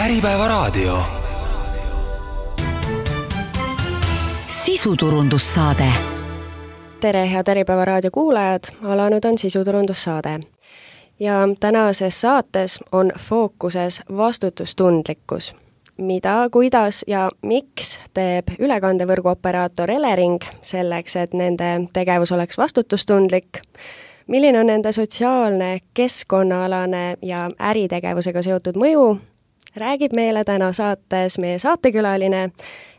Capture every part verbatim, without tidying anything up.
Äripäevaraadio. Sisuturundussaade. Tere, head Äripäevaraadio kuulajad, alanud on sisuturundussaade. Ja tänases saates on fookuses vastutustundlikkus. Mida, kuidas ja miks teeb ülekandevõrgu operaator Elering selleks, et nende tegevus oleks vastutustundlik? Milline on nende sotsiaalne, keskkonnaalane ja äritegevusega seotud mõju? Räägib meile täna saates meie saatekülaline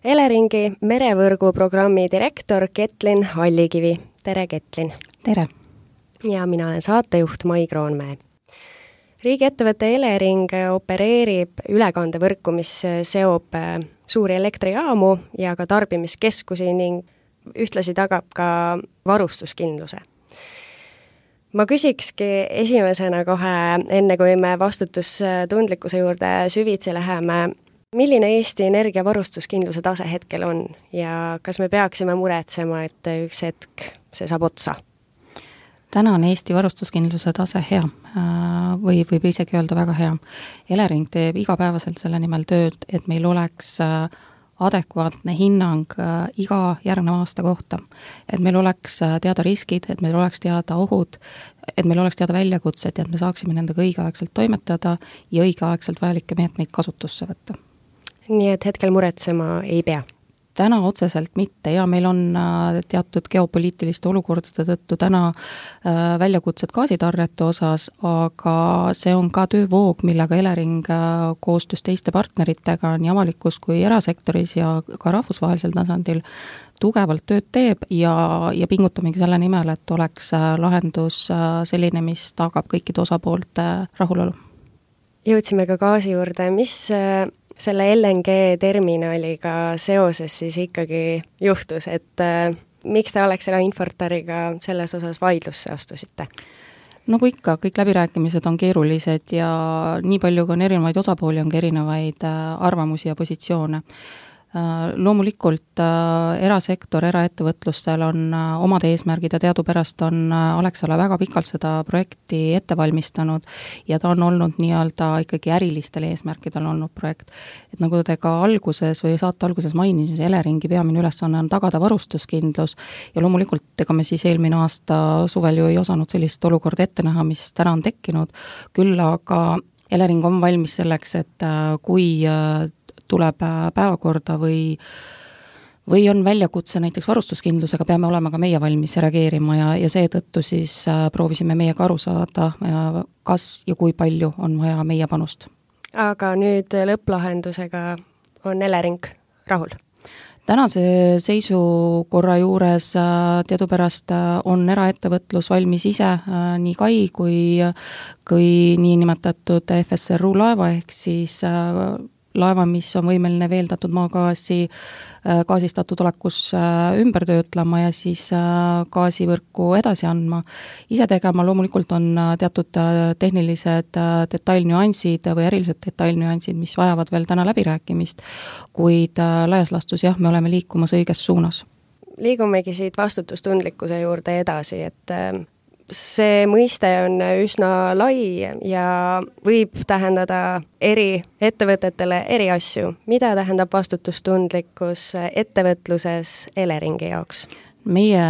Eleringi merevõrgu programmi direktor Ketlin Hallikivi. Tere, Ketlin! Tere! Ja mina olen saatejuht Mai Kroonmäe. Riigiettevõte Elering opereerib ülekandevõrku, mis seob suuri elektrijaamu ja ka tarbimiskeskusi ning ühtlasi tagab ka varustuskindluse. Ma küsikski esimesena kohe, enne kui me vastutustundlikkuse juurde süvitsi läheme, milline Eesti Energia varustuskindluse tase hetkel on ja kas me peaksime muretsema, et üks hetk see saab otsa? Täna on Eesti varustuskindluse tase hea või võib isegi öelda väga hea. Elering teeb igapäevaselt selle nimel tööd, et meil oleks adekvaatne hinnang iga järgneva aasta kohta. Et meil oleks teada riskid, et meil oleks teada ohud, et meil oleks teada väljakutsed ja et me saaksime nendega õigeaegselt toimetada ja õigeaegselt vajalikke meetmeid kasutusse võtta. Nii et hetkel muretsema ei pea? Täna otseselt mitte ja meil on teatud geopoliitiliste olukordade tõttu täna väljakutsed gaasitarrete osas, aga see on ka töövoog, millega Elering koostöös teiste partneritega nii avalikus kui erasektoris ja ka rahvusvahelisel tasandil tugevalt tööd teeb ja, ja pingutamegi selle nimel, et oleks lahendus selline, mis tagab kõikide osapoolte rahulolu. Jõudsime ka gaasi juurde, mis selle L N G terminaliga seoses siis ikkagi juhtus, et äh, miks te Alexela Infortariga selles osas vaidlusse astusite? No kui ikka, kõik läbirääkimised on keerulised ja nii palju kui on erinevaid osapooli, on ka erinevaid äh, arvamusi ja positsioone. Loomulikult erasektor, eraettevõtlustel on omad eesmärgid ja teadupärast on Alexela väga pikalt seda projekti ette valmistanud ja ta on olnud nii-öelda ikkagi ärilistel eesmärkidel olnud projekt. Et nagu te ka alguses või saate alguses mainisin, Eleringi peamine ülesanne on tagada varustuskindlus ja loomulikult ega me siis eelmine aasta suvel ju ei osanud sellist olukorda ette näha, mis täna on tekkinud, küll aga Elering on valmis selleks, et kui tuleb päevakorda või, või on väljakutse näiteks varustuskindlusega, peame olema ka meie valmis reageerima ja, ja seetõttu siis proovisime meiega aru saada, kas ja kui palju on vaja meie panust. Aga nüüd lõpplahendusega on Elering rahul? Tänase seisukorra juures teadupärast on eraettevõtlus valmis ise nii kai kui, kui nii nimetatud F S R U laeva ehk siis laeva, mis on võimeline veeldatud maagaasi gaasistatud olekus ümber töötlema ja siis gaasivõrku edasi andma. Ise tegema loomulikult on teatud tehnilised detailnüansid või ärilised detailnüansid, mis vajavad veel täna läbirääkimist, kuid laias lastus jah, me oleme liikumas õiges suunas. Liigumegi siit vastutustundlikkuse juurde edasi, et see mõiste on üsna lai ja võib tähendada eri ettevõtetele eri asju. Mida tähendab vastutustundlikkus ettevõtluses Eleringi jaoks? Meie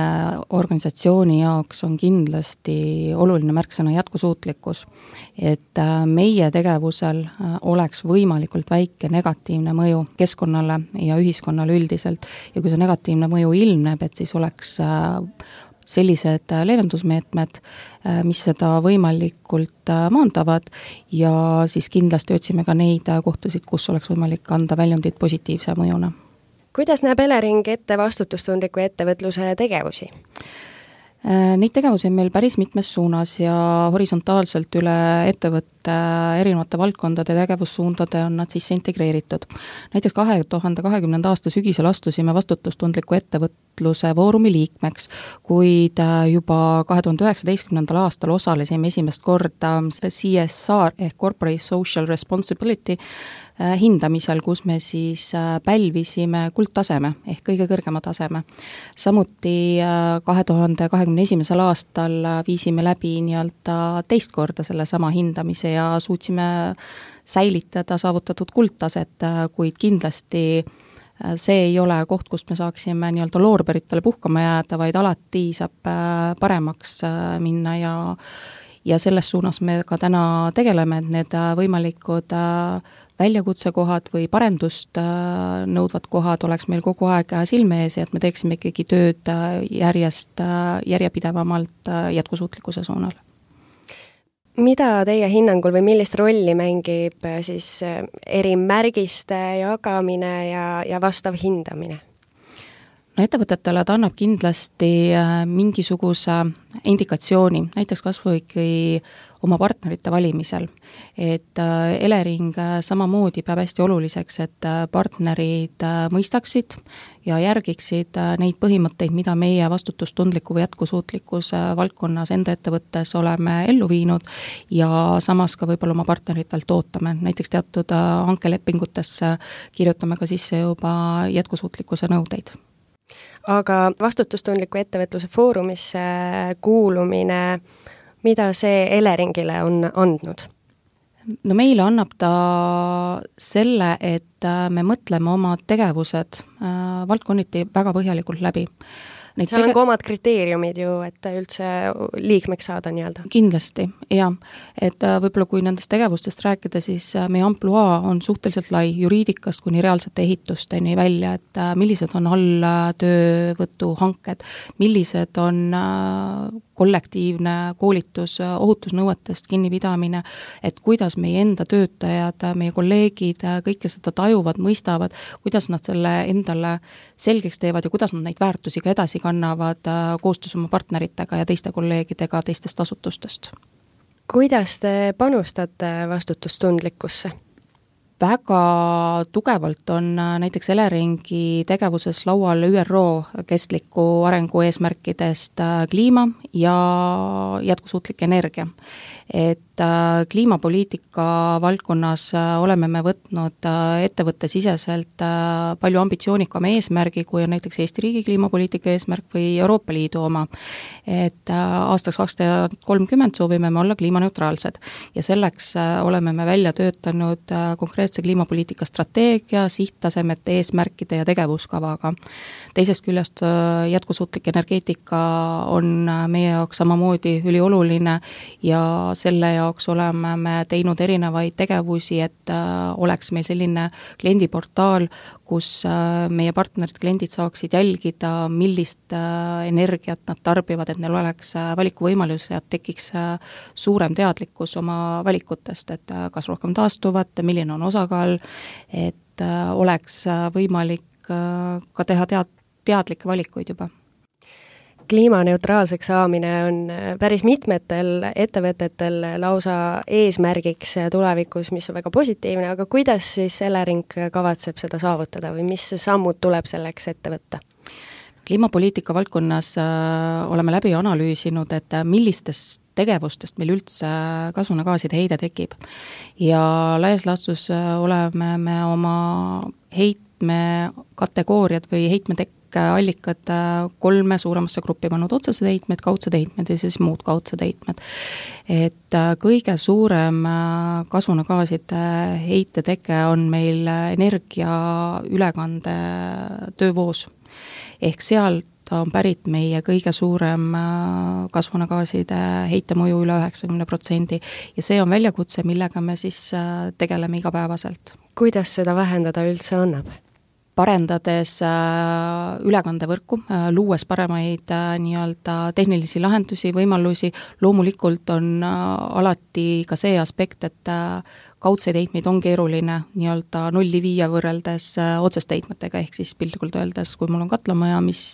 organisatsiooni jaoks on kindlasti oluline märksõna jätkusuutlikkus, et meie tegevusel oleks võimalikult väike negatiivne mõju keskkonnale ja ühiskonnale üldiselt ja kui see negatiivne mõju ilmneb, et siis oleks sellised leevendusmeetmed, mis seda võimalikult maandavad ja siis kindlasti otsime ka neid kohtasid, kus oleks võimalik anda väljundid positiivse mõjuna. Kuidas näeb Elering ette vastutustundliku ettevõtluse tegevusi? Neid tegevusi on meil päris mitmes suunas ja horisontaalselt üle ettevõtte erinevate valdkondade tegevussuundade on nad sisse integreeritud. Näiteks kahe tuhande kahekümnenda aasta sügisel astusime vastutustundliku ettevõtluse foorumi liikmeks, kuid juba kahe tuhande üheksateistkümnendal aastal osalesime esimest korda C S R ehk Corporate Social Responsibility hindamisel, kus me siis pälvisime kuldtaseme ehk kõige kõrgema taseme. Samuti kahe tuhande kahekümne esimesel aastal viisime läbi nii-öelda teist korda selle sama hindamise ja suutsime säilitada saavutatud kuldtaset, kuid kindlasti see ei ole koht, kust me saaksime nii-öelda loorberitele puhkama jääda, vaid alati saab paremaks minna ja ja selles suunas me ka täna tegeleme, et need võimalikud väljakutsekohad või parendust nõudvad kohad oleks meil kogu aeg silme ees ja et me teeksime ikkagi tööd järjest järjepidevamalt jätkusuutlikkuse suunal. Mida teie hinnangul või millist rolli mängib siis erimärgiste jagamine ja, ja vastav hindamine? No ettevõtetele ta annab kindlasti mingisuguse indikatsiooni, näiteks kas või oma partnerite valimisel. Et Elering samamoodi peab hästi oluliseks, et partnerid mõistaksid ja järgiksid neid põhimõtteid, mida meie vastutustundliku või jätkusuutlikkuse valdkonnas enda ettevõttes oleme ellu viinud ja samas ka võib-olla oma partneritelt ootame. Näiteks teatud hankelepingutesse kirjutame ka sisse juba jätkusuutlikkuse nõudeid. Aga vastutustundliku ettevõtluse foorumisse kuulumine, mida see Eleringile on andnud? No meile annab ta selle, et me mõtleme oma tegevused valdkonniti väga põhjalikult läbi. Neid seal tege- on ka omad kriteeriumid ju, et üldse liikmeks saada nii-öelda. Kindlasti, jah. Et võib-olla kui nendest tegevustest rääkida, siis meie ampluaa on suhteliselt lai juriidikast kuni reaalsete ehitusteni välja, et millised on alltöövõtuhanked, millised on kollektiivne koolitus, ohutusnõuetest kinnipidamine, et kuidas meie enda töötajad, meie kolleegid kõike seda tajuvad, mõistavad, kuidas nad selle endale selgeks teevad ja kuidas nad neid väärtusi ka edasi kannavad koostöös oma partneritega ja teiste kolleegidega teistest asutustest. Kuidas te panustate vastutustundlikkusse? Väga tugevalt on näiteks Eleringi tegevuses laual Ü R O kestliku arengu eesmärkidest kliima ja jätkusuutlik energia. Et kliimapoliitika valdkonnas oleme me võtnud ettevõtte siseselt palju ambitsioonikama eesmärgi, kui on näiteks Eesti riigi kliimapoliitika eesmärk või Euroopa Liidu oma. Et aastaks kaks tuhat kolmkümmend soovime me olla kliimaneutraalsed ja selleks oleme me välja töötanud konkreetse kliimapoliitika strateegia, sihttasemete, eesmärkide ja tegevuskavaga. Teisest küljest jätkusuutlik energeetika on meie jaoks samamoodi ülioluline ja selle jaoks oleme me teinud erinevaid tegevusi, et oleks meil selline kliendiportaal, kus meie partnerid, kliendid saaksid jälgida, millist energiat nad tarbivad, et neil oleks valikuvõimalus ja tekiks suurem teadlikkus oma valikutest, et kas rohkem taastuvat, milline on osakaal, et oleks võimalik ka teha tead, teadlikke valikuid juba. Kliimaneutraalseks saamine on päris mitmetel ettevõtetel lausa eesmärgiks tulevikus, mis on väga positiivne, aga kuidas siis Elering kavatseb seda saavutada või mis sammud tuleb selleks ette võtta? Kliimapoliitika valdkonnas oleme läbi analüüsinud, et millistest tegevustest meil üldse kasvuhoonegaaside heide tekib. Ja laias laastus oleme me oma heitme kategooriad või heitmetek allikad kolme suuremasse gruppi pannud: otsesed heitmed, kaudsed heitmed ja siis muud kaudsed heitmed. Et kõige suurem kasvuhoonegaaside heite teke on meil energia ülekande töövoos. Ehk sealt on pärit meie kõige suurem kasvuhoonegaaside heitemõju üle üheksakümne protsendi ja see on väljakutse, millega me siis tegeleme igapäevaselt. Kuidas seda vähendada üldse annab? Parendades ülekandevõrku, luues paremaid nii-öelda tehnilisi lahendusi, võimalusi, loomulikult on alati ka see aspekt, et kaudseid heitmeid on keeruline nii-öelda nulli viia võrreldes otseste heitmetega, ehk siis piltlikult öeldes, kui mul on katlamaja, mis,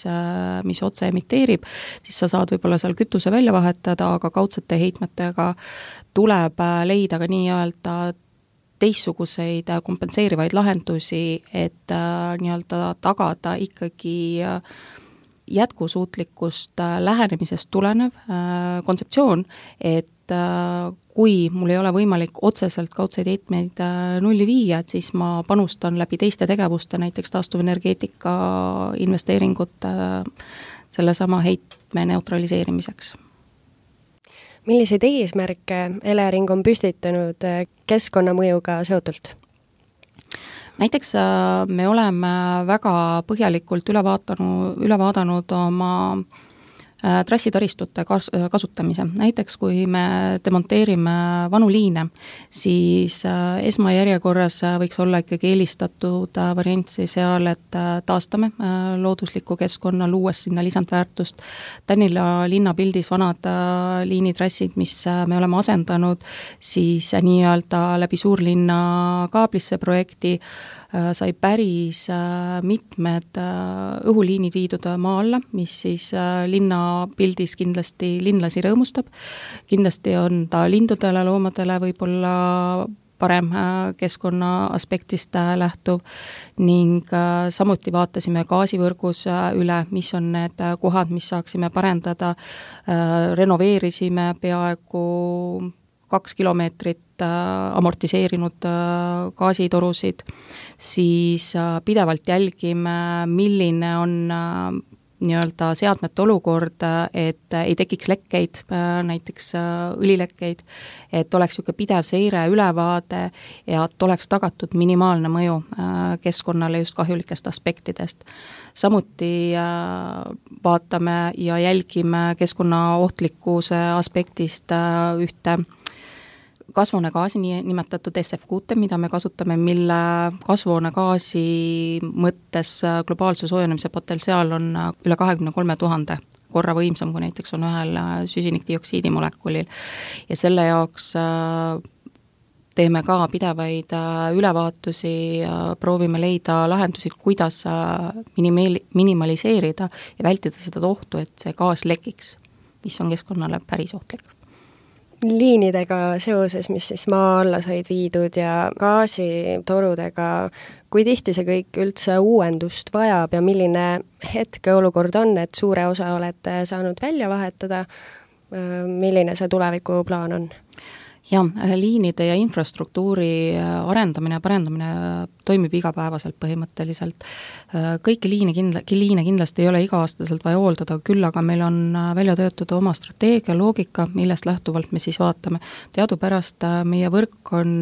mis otse emiteerib, siis sa saad võib-olla seal kütuse välja vahetada, aga kaudsete heitmetega tuleb leida ka nii-öelda teistsuguseid kompenseerivaid lahendusi, et äh, nii-öelda tagada ikkagi äh, jätkusuutlikust äh, lähenemisest tulenev äh, kontseptsioon, et et kui mul ei ole võimalik otseselt kaudseid heitmeid nulli viia, et siis ma panustan läbi teiste tegevuste, näiteks taastuvenergeetika investeeringute sellesama heitme neutraliseerimiseks. Milliseid eesmärke Elering on püstitanud keskkonnamõjuga seotult? Näiteks me oleme väga põhjalikult üle vaatanud, üle vaadanud oma trassitaristute kas-, kasutamise. Näiteks kui me demonteerime vanu liine, siis esmajärjekorras võiks olla ikkagi eelistatud variant seal, et taastame loodusliku keskkonna, luues sinna lisandväärtust. Tänila linnapildis vanad liinitrassid, mis me oleme asendanud, siis nii-öelda läbi suurlinna kaablisse projekti sai päris mitmed õhuliinid viidud maa alla, mis siis linna pildis kindlasti linlasi rõõmustab. Kindlasti on ta lindudele, loomadele võib-olla parem keskkonna aspektist lähtuv ning samuti vaatasime gaasivõrgus üle, mis on need kohad, mis saaksime parendada, renoveerisime peaaegu kaks kilomeetrit amortiseerinud gaasitorusid, siis pidevalt jälgime, milline on nii-öelda seadmete olukord, et ei tekiks lekkeid, näiteks õlilekkeid, et oleks niisugune pidev seire, ülevaade ja et oleks tagatud minimaalne mõju keskkonnale just kahjulikest aspektidest. Samuti vaatame ja jälgime keskkonnaohtlikkuse aspektist ühte kasvuhoonegaasi nimetatud S F kuute, mida me kasutame, mille kasvuhoonegaasi mõttes globaalse soojenemise potentsiaal on üle kahekümne kolme tuhande korra võimsam, kui näiteks on ühel süsinikdioksiidi molekulil. Ja selle jaoks teeme ka pidevaid ülevaatusi, proovime leida lahendusi, kuidas minimaliseerida ja vältida seda ohtu, et see gaas lekiks, mis on keskkonnale päris ohtlik. Liinidega seoses, mis siis maa alla said viidud ja gaasitorudega, kui tihti see kõik üldse uuendust vajab ja milline hetkeolukord on, et suure osa olete saanud välja vahetada, milline see tulevikuplaan on? Ja, liinide ja infrastruktuuri arendamine ja parendamine toimib igapäevaselt põhimõtteliselt. Kõiki liine, kindla, liine kindlasti ei ole iga-aastaselt vaja hooldada, küll aga meil on välja töötada oma strateegia, loogika, millest lähtuvalt me siis vaatame. Teadupärast meie võrk on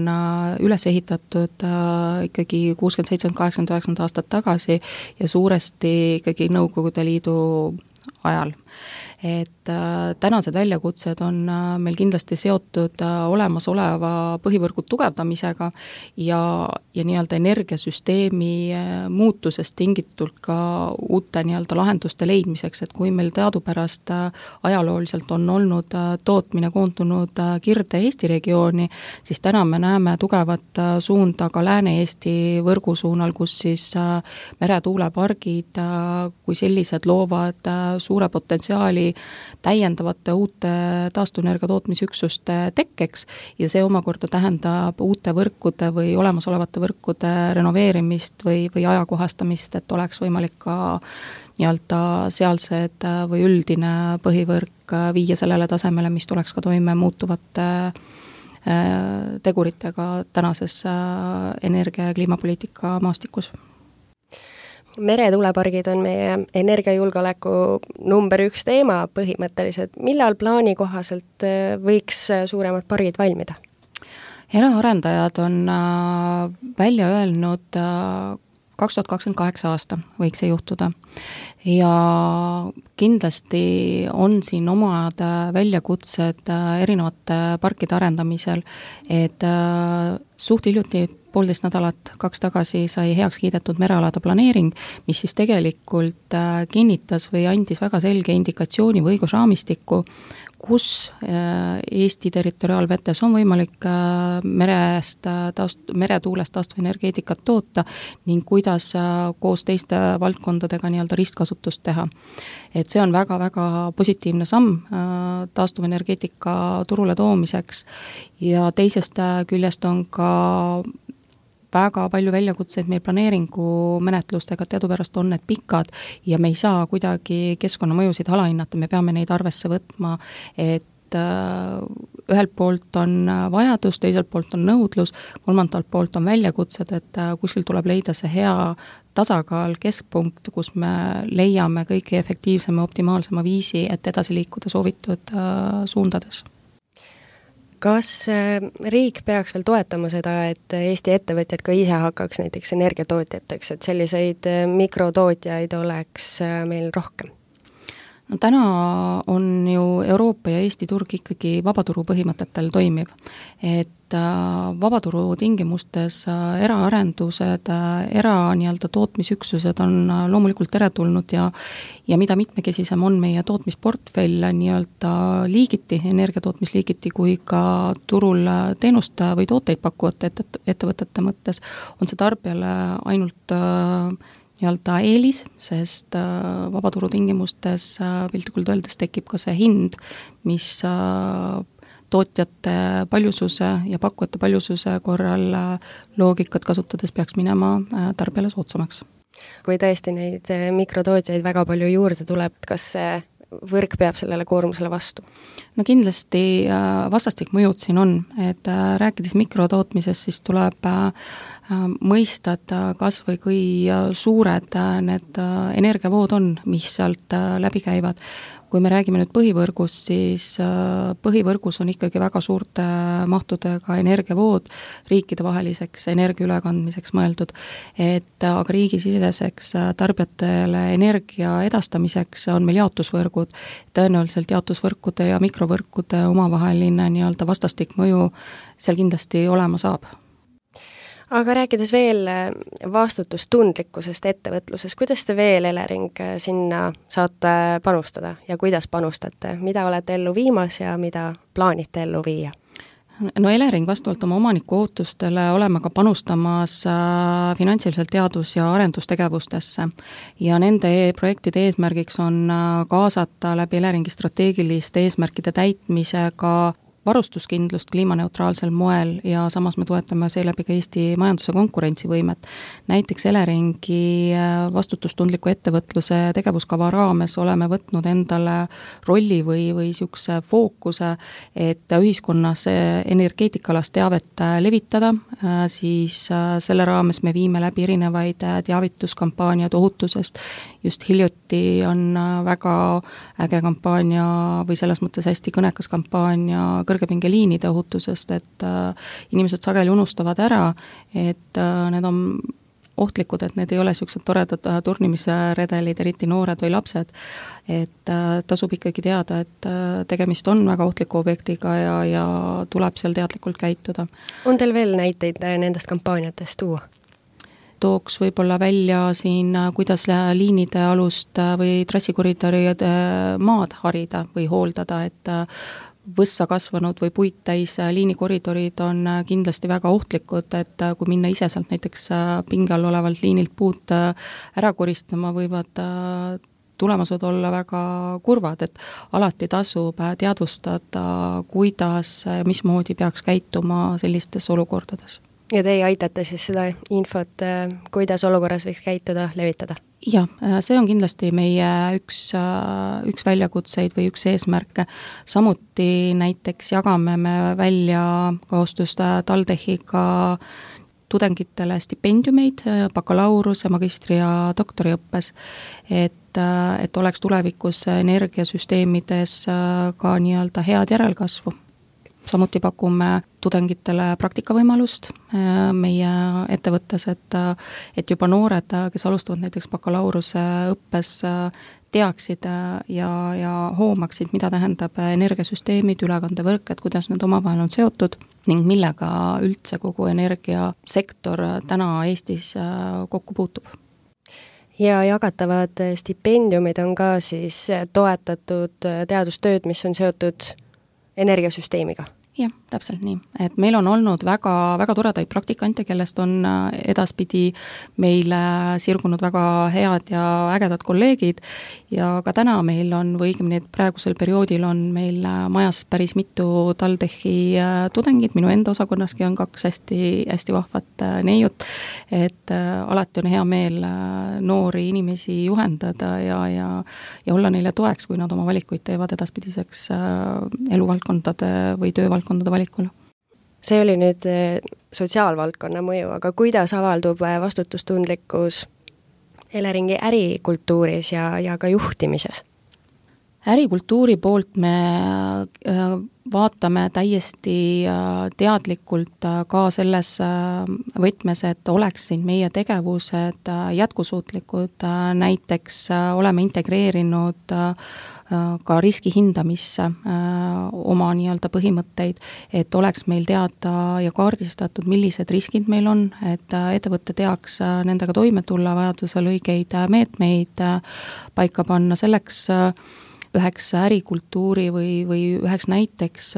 üles ehitatud ikkagi kuuskümmend seitse, kaheksakümmend üheksa aastat tagasi ja suuresti ikkagi Nõukogude Liidu ajal. Et äh, tänased väljakutsed on äh, meil kindlasti seotud äh, olemasoleva põhivõrgu tugevdamisega ja, ja nii-öelda energiasüsteemi äh, muutusest tingitult ka uute nii-öelda lahenduste leidmiseks, et kui meil teadupärast äh, ajalooliselt on olnud äh, tootmine koondunud äh, Kirde-Eesti regiooni, siis täna me näeme tugevat äh, suunda ka Lääne-Eesti võrgu suunal, kus siis äh, meretuulepargid äh, kui sellised loovad äh, suure potentsiaali täiendavate uute taastuvenergia tootmisüksuste tekkeks ja see omakorda tähendab uute võrkude või olemasolevate võrkude renoveerimist või, või ajakohastamist, et oleks võimalik ka nii-öelda sealsed või üldine põhivõrk viia sellele tasemele, mis tuleks ka toime muutuvate teguritega tänases energia- ja kliimapoliitika maastikus. Meretuulepargid on meie energiajulgeoleku number üks teema põhimõtteliselt. Millal plaani kohaselt võiks suuremad pargid valmida? Eraarendajad on välja öelnud kaks tuhat kakskümmend kaheksa aasta võiks see juhtuda. Ja kindlasti on siin omad väljakutsed erinevate parkide arendamisel, et suht hiljuti poolteist nädalat, kaks tagasi sai heaks kiidetud merealade planeering, mis siis tegelikult kinnitas või andis väga selge indikatsiooni või õigusraamistikku, kus Eesti territoriaalvetes on võimalik merest, taast, meretuulest taastuvenergeetikat toota ning kuidas koos teiste valdkondadega nii-öelda ristkasutust teha. Et see on väga-väga positiivne samm taastuvenergeetika turule toomiseks ja teisest küljest on ka väga palju väljakutseid meil planeeringu menetlustega, teadupärast on need pikad ja me ei saa kuidagi keskkonnamõjusid alahinnata, me peame neid arvesse võtma, et et ühelt poolt on vajadus, teiselt poolt on nõudlus, kolmandalt poolt on väljakutsed, et kuskil tuleb leida see hea tasakaal, keskpunkt, kus me leiame kõige efektiivsema, optimaalsema viisi, et edasi liikuda soovitud suundades. Kas riik peaks veel toetama seda, et Eesti ettevõtjad ka ise hakkaks näiteks energiatootjateks, et selliseid mikrotootjaid oleks meil rohkem? No täna on ju Euroopa ja Eesti turg ikkagi vabaturu põhimõtetel toimiv, et vabaturu tingimustes eraarendused, era nii-öelda tootmisüksused on loomulikult teretulnud ja ja mida mitmekesisem on meie tootmisportfell nii-öelda liigiti, energiatootmisliigiti kui ka turul teenust või tooteid pakkuvate ettevõtete mõttes, on see tarbijale ainult nii-öelda eelis, sest vabaturu tingimustes piltlikult öeldes tekib ka see hind, mis tootjate paljususe ja pakkujate paljususe korral loogikat kasutades peaks minema tarbijale soodsamaks. Kui tõesti neid mikrotootjaid väga palju juurde tuleb, kas see võrk peab sellele koormusele vastu? No kindlasti vastastik mõjud siin on, et rääkides mikrotootmisest, siis tuleb mõista, et kas või kui suured need energiavood on, mis sealt läbi käivad. Kui me räägime nüüd põhivõrgust, siis põhivõrgus on ikkagi väga suurte mahtudega energiavood riikidevaheliseks energia ülekandmiseks mõeldud, et aga riigisiseseks tarbijatele energia edastamiseks on meil jaotusvõrgud. Tõenäoliselt jaotusvõrkude ja mikrovõrkude omavaheline nii-öelda vastastik mõju seal kindlasti olema saab. Aga rääkides veel vastutustundlikkusest ettevõtluses, kuidas te veel, Elering, sinna saate panustada ja kuidas panustate? Mida olete ellu viimas ja mida plaanite ellu viia? No Elering vastavalt oma omaniku ootustele oleme ka panustamas finantsiliselt teadus- ja arendustegevustesse ja nende projektide eesmärgiks on kaasata läbi Eleringi strateegiliste eesmärkide täitmisega varustuskindlust kliimaneutraalsel moel ja samas me toetame seeläbi ka Eesti majanduse konkurentsivõimet. Näiteks Eleringi vastutustundliku ettevõtluse tegevuskava raames oleme võtnud endale rolli või, või niisuguse fookuse, et ühiskonnas energeetikalast teavet levitada, siis selle raames me viime läbi erinevaid teavituskampaaniad ohutusest. Just hiljuti on väga äge kampaania või selles mõttes hästi kõnekas kampaania kõrgepingeliinide ohutusest, et äh, inimesed sageli unustavad ära, et äh, need on ohtlikud, et need ei ole niisugused toredad äh, turnimisredelid, eriti noored või lapsed, et äh, tasub ikkagi teada, et äh, tegemist on väga ohtliku objektiga ja, ja tuleb seal teadlikult käituda. On teil veel näiteid nendest kampaaniatest tuua? Tooks võib-olla välja siin, kuidas liinide alust või trassikoridoride maad harida või hooldada, et võssa kasvanud või puit täis liinikoridorid on kindlasti väga ohtlikud, et kui minna ise sealt näiteks pinge all olevalt liinilt puud ära koristama, võivad tulemused olla väga kurvad, et alati tasub teadvustada, kuidas ja mismoodi peaks käituma sellistes olukordades. Ja teie aitate siis seda infot, kuidas olukorras võiks käituda, levitada? Jah, see on kindlasti meie üks, üks väljakutseid või üks eesmärke. Samuti näiteks jagame me välja koostöös TalTechiga tudengitele stipendiumeid bakalauruse, magistri ja doktoriõppes, et, et oleks tulevikus energiasüsteemides ka nii-öelda head järelkasvu. Samuti pakume tudengitele praktikavõimalust meie ettevõttes, et, et juba noored, kes alustavad näiteks bakalauruse õppes, teaksid ja, ja hoomaksid, mida tähendab energiasüsteemid, ülekandevõrk, et kuidas need omavahel on seotud ning millega üldse kogu energiasektor täna Eestis kokku puutub. Ja jagatavad stipendiumid on ka siis toetatud teadustööd, mis on seotud energiasüsteemiga? jah, täpselt nii, et meil on olnud väga, väga toredaid praktikante, kellest on edaspidi meile sirgunud väga head ja ägedad kolleegid ja ka täna meil on, või õigemini praegusel perioodil on meil majas päris mitu TalTechi tudengit, minu enda osakonnaski on kaks hästi, hästi vahvat neiut, et alati on hea meel noori inimesi juhendada ja, ja, ja olla neile toeks, kui nad oma valikuid teevad edaspidiseks eluvaldkondade või töövaldkondade valikule. See oli nüüd sotsiaalvaldkonna mõju, aga kuidas avaldub vastutustundlikkus Eleringi ärikultuuris ja, ja ka juhtimises? Ärikultuuri poolt me vaatame täiesti teadlikult ka selles võtmes, et oleksid meie tegevused jätkusuutlikud, näiteks oleme integreerinud ka riski hindamisse oma nii-öelda põhimõtteid, et oleks meil teada ja kaardistatud, millised riskid meil on, et ettevõte teaks nendega toime tulla, vajadusel õigeid meetmeid paika panna. Selleks üheks ärikultuuri või, või üheks näiteks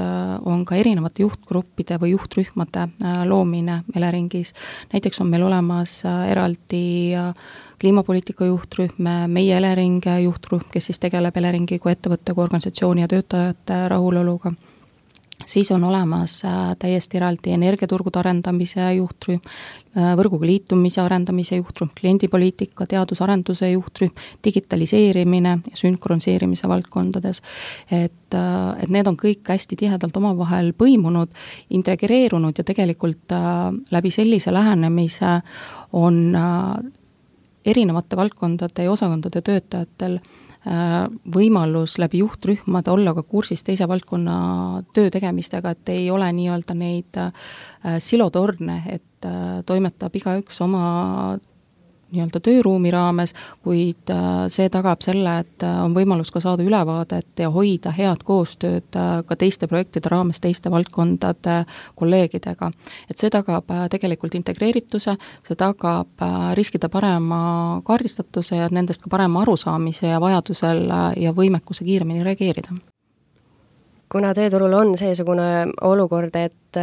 on ka erinevate juhtgruppide või juhtrühmade loomine Eleringis. Näiteks on meil olemas eraldi kliimapoliitika juhtrühm, meie Elering juhtrühm, kes siis tegeleb Eleringi kui ettevõtte, kui organisatsiooni ja töötajate rahuloluga. Siis on olemas täiesti eraldi energiaturgude arendamise juhtrühm, võrguga liitumise arendamise juhtrühm, kliendipoliitika, teadusarenduse juhtrühm, digitaliseerimine ja sünkroniseerimise valdkondades. Et, et need on kõik hästi tihedalt omavahel põimunud, integreerunud ja tegelikult läbi sellise lähenemise on erinevate valdkondade ja osakondade töötajatel võimalus läbi juhtrühmade olla ka kursis teise valdkonna töö tegemistega, et ei ole nii-öelda neid silotorne, et toimetab igaüks oma nii-öelda tööruumi raames, kuid see tagab selle, et on võimalus ka saada ülevaadet ja hoida head koostööd ka teiste projektide raames teiste valdkondade kolleegidega. Et see tagab tegelikult integreerituse, see tagab riskide parema kaardistatuse ja nendest ka parema arusaamise ja vajadusel ja võimekuse kiiremini reageerida. Kuna tööturul on seesugune olukord, et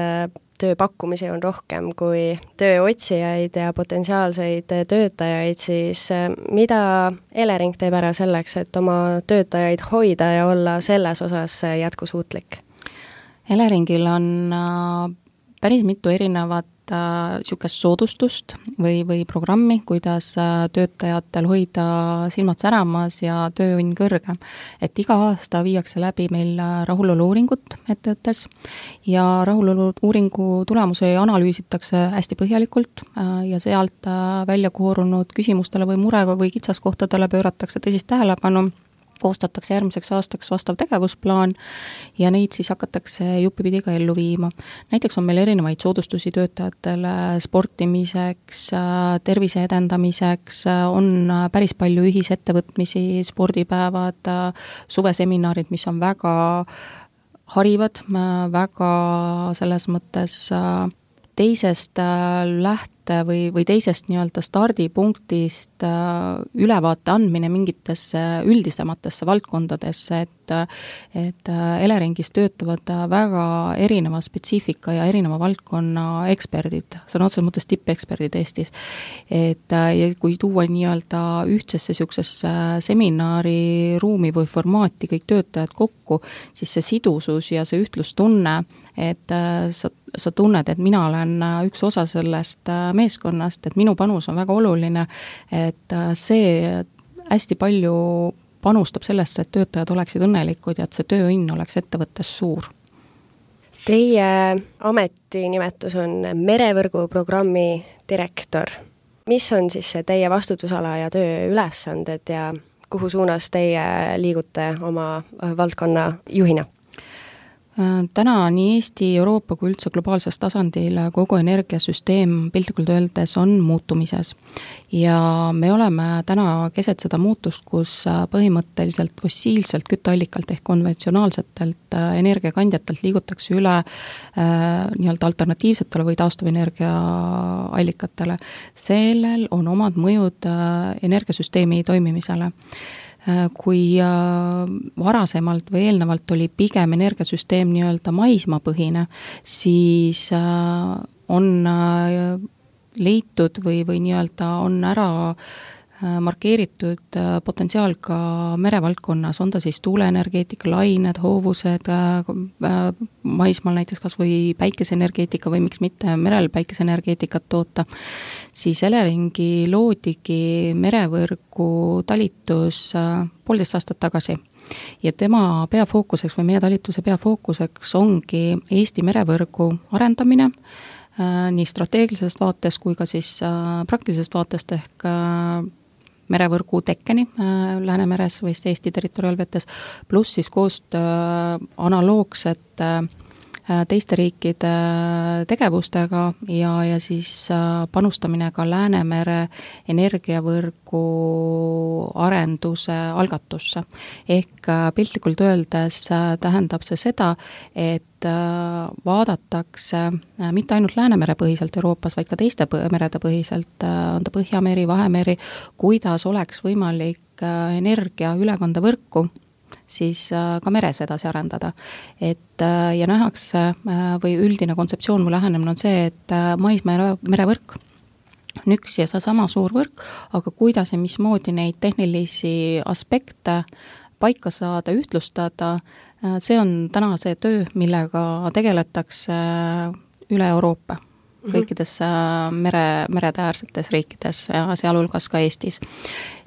tööpakkumisi on rohkem kui tööotsijaid ja potentsiaalseid töötajaid, siis mida Elering teeb ära selleks, et oma töötajaid hoida ja olla selles osas jätkusuutlik? Eleringil on päris mitu erinevat niisugust soodustust või, või programmi, kuidas töötajatel hoida silmad säramas ja tööõnn kõrge. Et iga aasta viiakse läbi meil rahulolu-uuringut ettevõttes ja rahulolu-uuringu tulemusi analüüsitakse hästi põhjalikult ja sealt välja koorunud küsimustele või murega või kitsaskohtadele pööratakse tõsist tähelepanu, koostatakse järgmiseks aastaks vastav tegevusplaan ja neid siis hakatakse juppipidi ka ellu viima. Näiteks on meil erinevaid soodustusi töötajatele sportimiseks, tervise edendamiseks, on päris palju ühisettevõtmisi, spordipäevad, suveseminarid, mis on väga harivad, väga selles mõttes teisest läht- või, või teisest nii-öelda stardipunktist ülevaate andmine mingitesse üldisematesse valdkondadesse, et, et Eleringis töötavad väga erineva spetsiifika ja erineva valdkonna eksperdid, see on otseses mõttes tippeksperdid Eestis. Et ja kui tuua nii-öelda ühtsesse niisugusesse seminariruumi või formaati kõik töötajad kokku, siis see sidusus ja see ühtlustunne, et sa, sa tunned, et mina olen üks osa sellest meeskonnast, et minu panus on väga oluline, et see hästi palju panustab sellesse, et töötajad oleksid õnnelikud ja et see tööõnn oleks ettevõttes suur. Teie ametinimetus on merevõrguprogrammi direktor. Mis on siis see teie vastutusala ja tööülesanded ja kuhu suunas teie liigute oma valdkonna juhina? Täna nii Eesti, Euroopa kui üldse globaalses tasandil kogu energiasüsteem piltlikult öeldes on muutumises. Ja me oleme täna keset seda muutust, kus põhimõtteliselt fossiilselt kütteallikalt ehk konventsionaalsetelt energiakandjatelt liigutakse üle nii-öelda alternatiivsetele või taastuvenergiaallikatele. Sellel on omad mõjud energiasüsteemi toimimisele. Kui varasemalt või eelnevalt oli pigem energiasüsteem nii-öelda maismaapõhine, siis on leitud või, või nii-öelda on ära markeeritud potentsiaal ka merevaldkonnas, on ta siis tuuleenergeetika, lained, hoovused, maismaal näiteks kas või päikeseenergeetika või miks mitte merel päikeseenergeetikat toota, siis Eleringi loodigi merevõrgu talitus poolteist aastat tagasi. Ja tema peafookuseks või meie talituse peafookuseks ongi Eesti merevõrgu arendamine, nii strateegilisest vaatest kui ka siis praktilisest vaatest ehk merevõrgu tekkeni Läänemeres või Eesti territoriaalvetes, pluss siis koostöö analoogsete teiste riikide tegevustega ja, ja siis panustamine ka Läänemere energiavõrgu arenduse algatusse. Ehk piltlikult öeldes tähendab see seda, et vaadatakse mitte ainult Läänemere põhiselt Euroopas, vaid ka teiste merede põhiselt, on ta Põhjameri, Vahemeri, kuidas oleks võimalik energiaülekandevõrku siis ka meres edasi arendada. Et ja nähakse või üldine kontseptsioon või lähenemine on see, et maismaa merevõrk on üks ja seesama suur võrk, aga kuidas ja mismoodi neid tehnilisi aspekte paika saada, ühtlustada, see on täna see töö, millega tegeletakse üle Euroopa, kõikides mere, meretäärsetes riikides ja sealhulgas ka Eestis.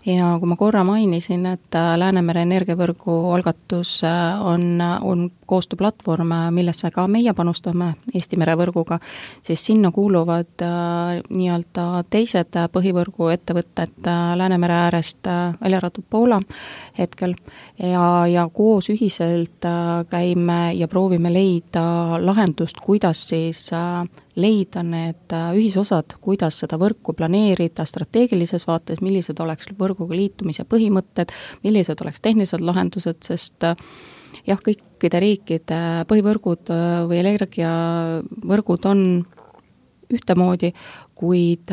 Ja kui ma korra mainisin, et Läänemere energiavõrgu algatus on, on koostööplatvorm, millesse ka meie panustame Eesti merevõrguga, siis sinna kuuluvad äh, nii-öelda teised põhivõrgu ettevõtted Läänemere äärest välja arvatud Poola hetkel ja, ja koos ühiselt äh, käime ja proovime leida lahendust, kuidas siis äh, leida need ühisosad, kuidas seda võrku planeerida strateegilises vaates, millised oleks võrguga liitumise põhimõtted, millised oleks tehnilised lahendused, sest jah, kõikide riikide põhivõrgud või energiavõrgud on ühtemoodi, kuid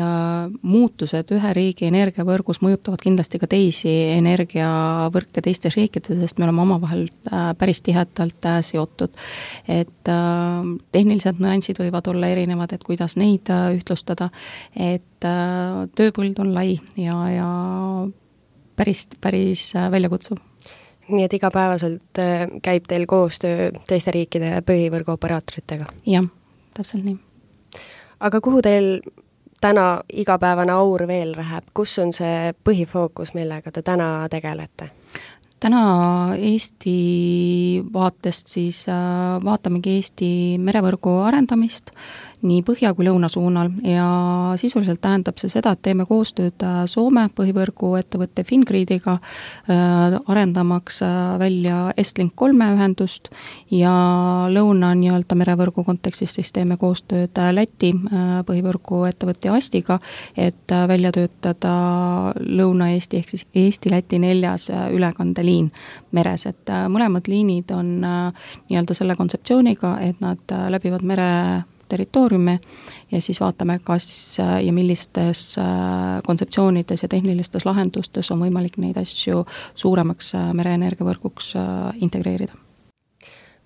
muutused ühe riigi energiavõrgus mõjutavad kindlasti ka teisi energiavõrke teistes riikides, sest me oleme omavahel päris tihedalt seotud. Et tehnilised nüansid võivad olla erinevad, et kuidas neid ühtlustada, et tööpõld on lai ja, ja päris, päris väljakutsuv. Nii et igapäevaselt käib teil koostöö teiste riikide põhivõrgu operaatoritega? Jah, täpselt nii. Aga kuhu teil täna igapäevane aur veel läheb? Kus on see põhifookus, millega te täna tegelete? Täna Eesti vaatest siis vaatamegi Eesti merevõrgu arendamist nii põhja kui lõuna suunal ja sisuliselt tähendab see seda, et teeme koostööd Soome põhivõrgu ettevõtte Fingridiga arendamaks välja Estlink kolme ühendust ja lõuna nii-öelda merevõrgu kontekstis siis teeme koostööd Läti põhivõrgu ettevõtte Astiga, et välja töötada Lõuna-Eesti ehk siis Eesti-Läti neljas ülekandeliin meres, et mõlemad liinid on nii-öelda selle kontseptsiooniga, et nad läbivad mere territooriumi ja siis vaatame, kas ja millistes kontseptsioonides ja tehnilistes lahendustes on võimalik neid asju suuremaks mereenergiavõrguks integreerida.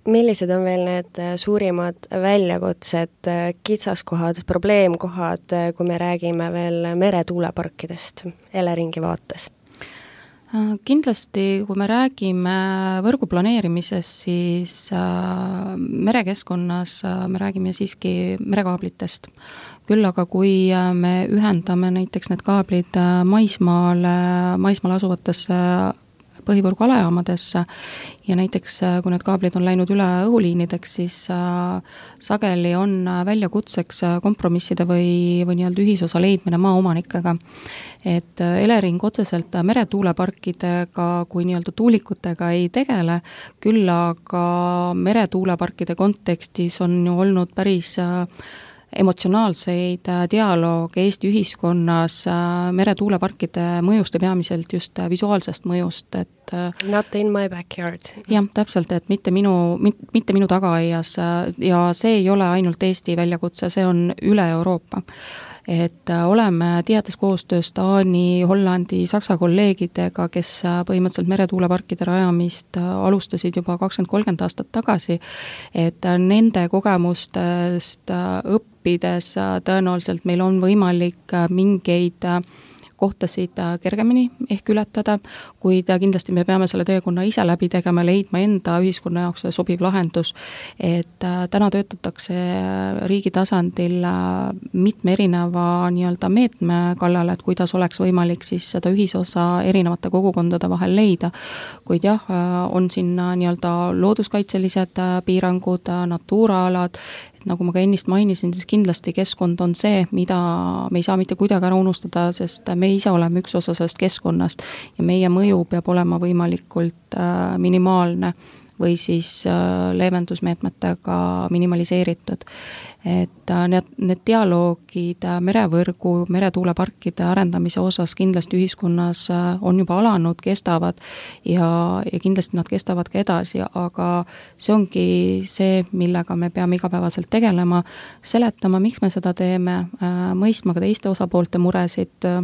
Millised on veel need suurimad väljakutsed, kitsaskohad, probleemkohad, kui me räägime veel meretuuleparkidest Eleringi vaates? Kindlasti, kui me räägime võrgu planeerimisest, siis merekeskkonnas me räägime siiski merekaablitest. Küll aga kui me ühendame näiteks need kaablid maismaale, maismaal asuvatesse põhivõrgu alajaamadesse ja näiteks kui need kaablid on läinud üle õhuliinideks, siis sageli on väljakutseks kompromisside või, või nii-öelda ühisosa leidmine maaomanikega. Et Elering otseselt meretuuleparkidega kui nii-öelda tuulikutega ei tegele, küll aga meretuuleparkide kontekstis on ju olnud päris emotsionaalseid dialoog Eesti ühiskonnas meretuuleparkide mõjust ja peamiselt just visuaalsest mõjust, et Not in my backyard. Jah, täpselt, et mitte minu, mitte minu tagaaias ja see ei ole ainult Eesti väljakutse, see on üle Euroopa. et oleme tihedas koostöös Taani, Hollandi, Saksa kolleegidega, kes põhimõtteliselt meretuuleparkide rajamist alustasid juba kakskümmend kolmkümmend aastat tagasi, et nende kogemustest õppides tõenäoliselt meil on võimalik mingeid kohtasid kergemini ehk ületada, kuid kindlasti me peame selle teekonna ise läbi tegema, leidma enda ühiskonna jaoks sobiv lahendus, et täna töötatakse riigi tasandil mitme erineva nii-öelda meetme kallal, et kuidas oleks võimalik siis seda ühisosa erinevate kogukondade vahel leida, kuid jah, on siin nii-öelda looduskaitselised piirangud, Natura-alad, nagu ma ka ennist mainisin, siis kindlasti keskkond on see, mida me ei saa mitte kuidagi ära unustada, sest me ise oleme üks osa sellest keskkonnast ja meie mõju peab olema võimalikult äh, minimaalne või siis äh, leevendusmeetmetega minimaliseeritud. Et äh, need, need dialoogid äh, merevõrgu, meretuuleparkide arendamise osas kindlasti ühiskonnas äh, on juba alanud, kestavad ja, ja kindlasti nad kestavad ka edasi, aga see ongi see, millega me peame igapäevaselt tegelema, seletama, miks me seda teeme, äh, mõistma ka teiste osapoolte muresid, äh,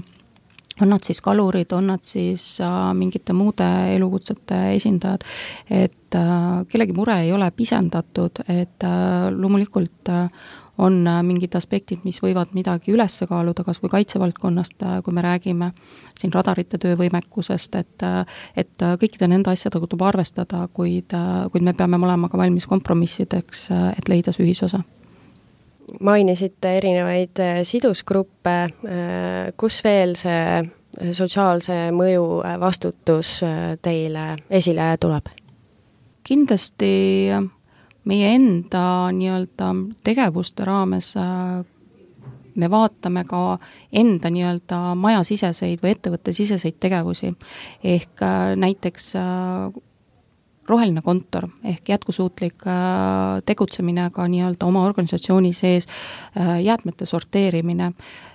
on nad siis kalurid, on nad siis äh, mingite muude elukutsete esindajad, et äh, kellegi mure ei ole pisendatud, et äh, loomulikult äh, on äh, mingid aspektid, mis võivad midagi üles kaaluda, kas või kaitsevaldkonnast, äh, kui me räägime siin radarite töövõimekusest, et, äh, et äh, kõikide nende asjadega tuleb arvestada, kuid, äh, kuid me peame olema ka valmis kompromissideks, äh, et leida see ühisosa. Mainisite erinevaid sidusgruppe, kus veel see sotsiaalse mõju vastutus teile esile tuleb? Kindlasti meie enda nii-öelda tegevuste raames me vaatame ka enda nii-öelda majasiseseid või ettevõttesiseseid tegevusi, ehk näiteks roheline kontor ehk jätkusuutlik äh, tegutsemine ka nii-öelda oma organisatsiooni sees, äh, jäätmete sorteerimine,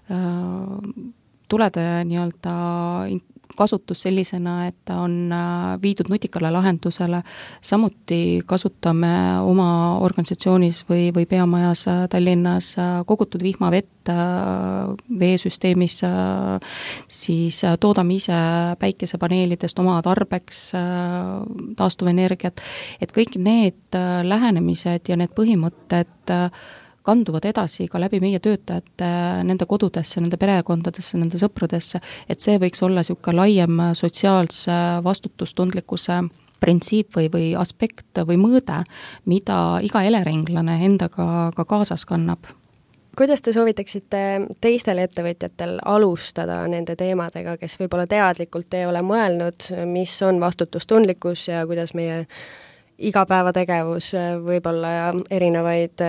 äh, tulede nii-öelda kasutus sellisena, et on viidud nutikale lahendusele, samuti kasutame oma organisatsioonis või, või peamajas Tallinnas kogutud vihmavett veesüsteemis, siis toodame ise päikesepaneelidest oma tarbeks taastuvenergiat, et kõik need lähenemised ja need põhimõtted kanduvad edasi ka läbi meie töötajate nende kodudesse, nende perekondadesse, nende sõpradesse, et see võiks olla niisugune laiem sotsiaalse vastutustundlikkuse printsiip või, või aspekt või mõõde, mida iga eleringlane endaga ka kaasas kannab. Kuidas te soovitaksite teistel ettevõtjatel alustada nende teemadega, kes võib-olla teadlikult ei ole mõelnud, mis on vastutustundlikkus ja kuidas meie igapäevategevus võib-olla ja erinevaid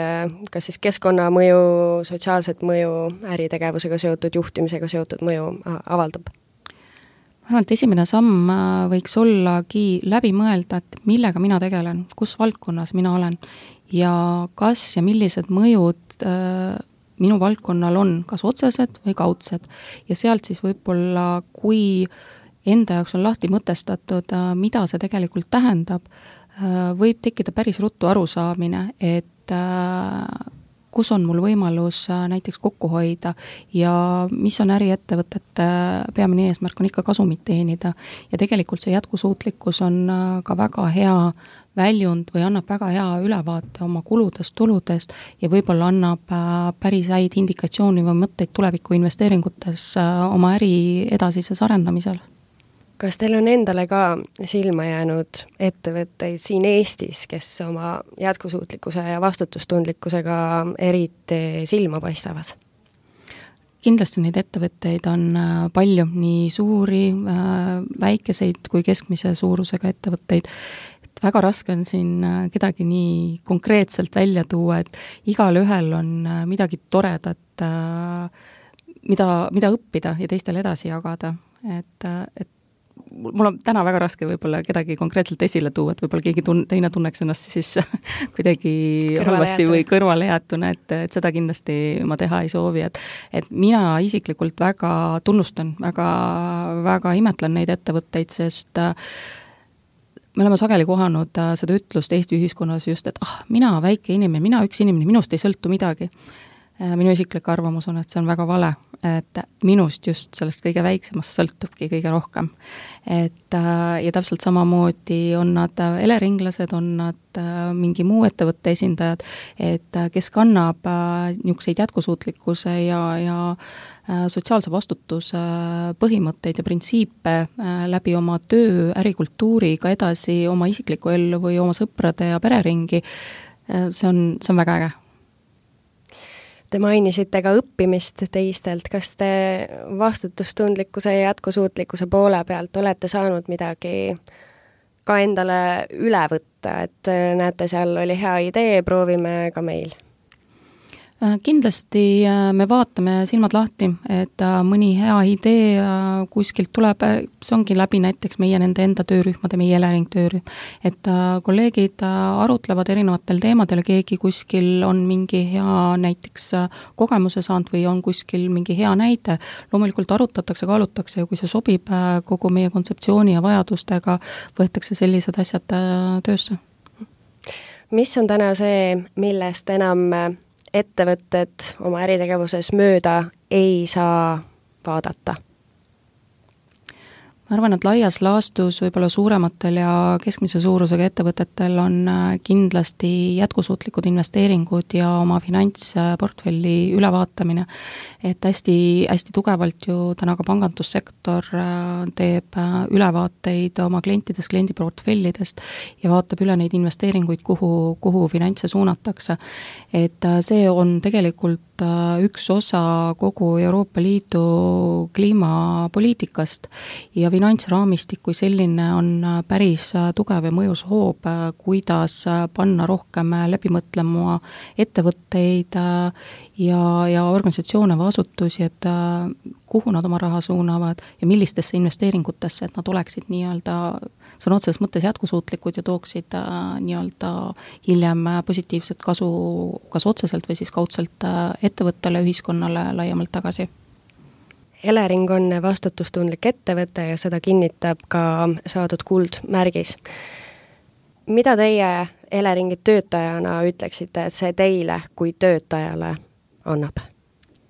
kas siis keskkonnamõju, sotsiaalset mõju, äritegevusega seotud, juhtimisega seotud mõju avaldab? Ma arvan, et esimene samm võiks ollagi läbi mõelda, et millega mina tegelen, kus valdkonnas mina olen ja kas ja millised mõjud äh, minu valdkonnal on, kas otsesed või kaudsed. Ja sealt siis võib-olla, kui enda jaoks on lahti mõtestatud, äh, mida see tegelikult tähendab, võib tekkida päris ruttu arusaamine, et äh, kus on mul võimalus äh, näiteks kokku hoida ja mis on äriettevõtete peamine eesmärk, on ikka kasumit teenida. Ja tegelikult see jätkusuutlikkus on äh, ka väga hea väljund või annab väga hea ülevaate oma kuludest, tuludest ja võib-olla annab äh, päris häid indikatsiooni või mõtteid tuleviku investeeringutes äh, oma äri edasises arendamisel. Kas teil on endale ka silma jäänud ettevõtteid siin Eestis, kes oma jätkusuutlikkuse ja vastutustundlikkusega eriti silma paistavad? Kindlasti neid ettevõtteid on palju, nii suuri, väikeseid kui keskmise suurusega ettevõtteid. Et väga raske on siin kedagi nii konkreetselt välja tuua, et igal ühel on midagi toredat, mida, mida õppida ja teistele edasi jagada. Et, et mul on täna väga raske võib-olla kedagi konkreetselt esile tuua, et võib-olla keegi tun- teine tunneks ennast siis kuidagi halvasti või kõrvale jäetuna, et, et seda kindlasti ma teha ei soovi, et, et mina isiklikult väga tunnustan, väga, väga imetlen neid ettevõtteid, sest me oleme sageli kohanud seda ütlust Eesti ühiskonnas just, et ah, mina väike inimene, mina üks inimene, minust ei sõltu midagi. minu isiklik arvamus on, et see on väga vale, et minust just sellest kõige väiksemast sõltubki kõige rohkem. Et ja täpselt samamoodi on nad eleringlased, on nad mingi muu ettevõtte esindajad, et kes kannab niisuguseid jätkusuutlikkuse ja, ja sotsiaalse vastutuse põhimõtteid ja printsiipe läbi oma töö, ärikultuuri ka edasi oma isiklikku ellu või oma sõprade ja pereringi, see on, see on väga äge. Te mainisite ka õppimist teistelt, kas te vastutustundlikkuse ja jätkusuutlikkuse poole pealt olete saanud midagi ka endale üle võtta, et näete, seal oli hea idee, proovime ka meil? Kindlasti me vaatame silmad lahti, et mõni hea idee kuskilt tuleb, see ongi läbi näiteks meie nende enda töörühmade, meie Elering töörühm, et kolleegid arutlevad erinevatel teemadel, keegi kuskil on mingi hea näiteks kogemuse saanud või on kuskil mingi hea näide, loomulikult arutatakse, kaalutakse ja kui see sobib kogu meie kontseptsiooni ja vajadustega, võetakse sellised asjad töösse. Mis on täna see, millest enam ettevõtted oma äritegevuses mööda ei saa vaadata? Ma arvan, et laias laastus võib-olla suurematel ja keskmise suurusega ettevõtetel on kindlasti jätkusuutlikud investeeringud ja oma finantsportfelli ülevaatamine. Et hästi, hästi tugevalt ju täna ka pangandussektor teeb ülevaateid oma klientidest, kliendiportfellidest ja vaatab üle neid investeeringuid, kuhu, kuhu finantse suunatakse. Et see on tegelikult üks osa kogu Euroopa Liidu kliimapoliitikast ja finantsraamistik kui selline on päris tugev ja mõjus hoob, kuidas panna rohkem läbi mõtlema ettevõtteid ja, ja organisatsioone või asutusi, et kuhu nad oma raha suunavad ja millistesse investeeringutesse, et nad oleksid nii-öelda sõna otseses mõttes jätkusuutlikud ja tooksid nii-öelda hiljem positiivset kasu kas otseselt või siis kaudselt ettevõttele, ühiskonnale laiemalt tagasi. Elering on vastutustundlik ettevõte ja seda kinnitab ka saadud kuldmärgis. Mida teie Eleringi töötajana ütleksite, et see teile kui töötajale annab?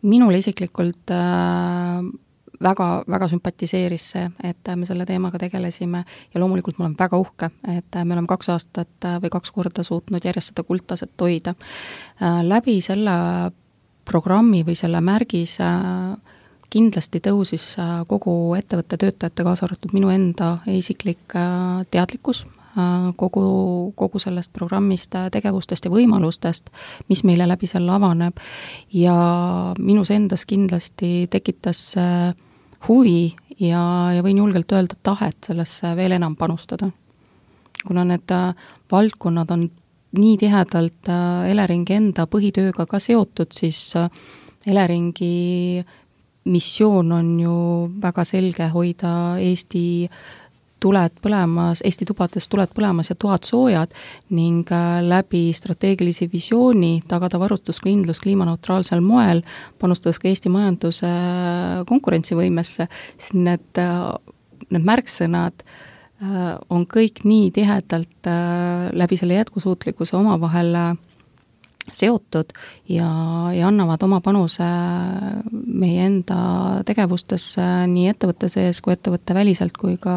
Minule isiklikult äh, väga, väga sümpatiseeris see, et me selle teemaga tegelesime ja loomulikult ma olen väga uhke, et me oleme kaks aastat või kaks korda suutnud järjest seda kuldtaset hoida. Äh, läbi selle programmi või selle märgis äh, kindlasti tõusis kogu ettevõtte töötajate, kaasa arvatud minu enda isiklik teadlikkus kogu, kogu sellest programmist, tegevustest ja võimalustest, mis meile läbi selle avaneb ja minus endas kindlasti tekitas huvi ja, ja võin julgelt öelda tahet sellesse veel enam panustada. Kuna need valdkonnad on nii tihedalt Eleringi enda põhitööga ka seotud, siis Eleringi missioon on ju väga selge hoida Eesti tuled põlemas, Eesti tubades tuled põlemas ja toad soojad ning läbi strateegilisi visiooni tagada varustuskindlus kliimaneutraalsel moel, panustades ka Eesti majanduse konkurentsivõimesse, siis need, need märksõnad on kõik nii tihedalt läbi selle jätkusuutlikkuse omavahel seotud ja, ja annavad oma panuse meie enda tegevustesse nii ettevõtte sees kui ettevõtte väliselt kui ka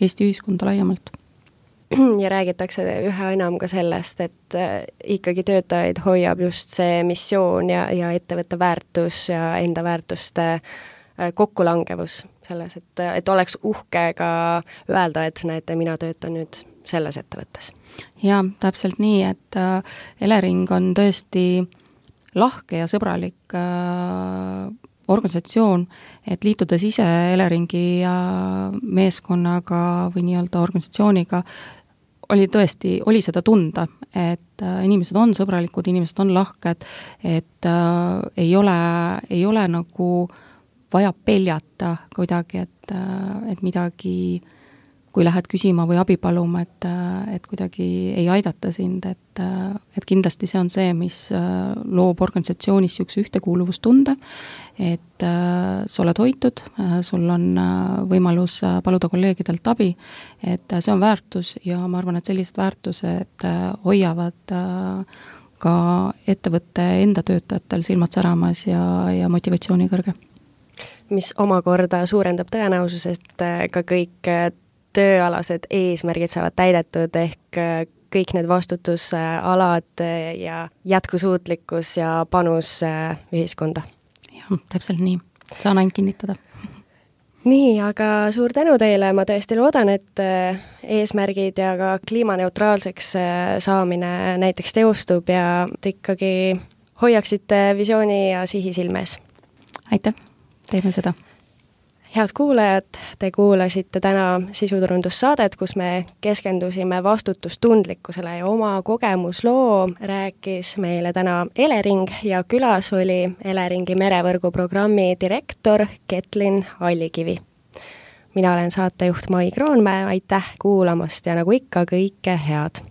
Eesti ühiskonda laiemalt. Ja räägitakse üha enam ka sellest, et ikkagi töötajaid hoiab just see missioon ja, ja ettevõtte väärtus ja enda väärtuste kokkulangevus selles, et, et oleks uhke ka öelda, et näete, mina töötan nüüd selles ettevõttes. Jaa, täpselt nii, et Elering on tõesti lahke ja sõbralik organisatsioon, et liitudes ise Eleringi meeskonnaga või nii-öelda organisatsiooniga, oli tõesti, oli seda tunda, et inimesed on sõbralikud, inimesed on lahked, et äh, ei ole, ei ole nagu vaja peljata kuidagi, et, et midagi kui lähed küsima või abi paluma, et, et kuidagi ei aidata sind, et, et kindlasti see on see, mis loob organisatsioonis niisuguse ühtekuuluvustunde, et sa oled hoitud, sul on võimalus paluda kolleegidelt abi, et see on väärtus ja ma arvan, et sellised väärtused hoiavad ka ettevõtte enda töötajatel silmad säramas ja, ja motivatsiooni kõrge. Mis omakorda suurendab tõenäosus, et ka kõik tööalased eesmärgid saavad täidetud, ehk kõik need vastutusalad ja jätkusuutlikkus ja panus ühiskonda. Jah, täpselt nii. Saan ainult kinnitada. Nii, aga suur tänu teile, ma tõesti loodan, et eesmärgid ja ka kliimaneutraalseks saamine näiteks teostub ja ikkagi hoiaksite visiooni ja sihi silmes. Aitäh, teeme seda. Head kuulajad, te kuulasite täna sisuturundussaadet, kus me keskendusime vastutustundlikkusele ja oma kogemusloo rääkis meile täna Elering ja külas oli Eleringi merevõrgu programmi direktor Ketlin Allikivi. Mina olen saatejuht Mai Kroonmäe, aitäh kuulamast ja nagu ikka kõike head!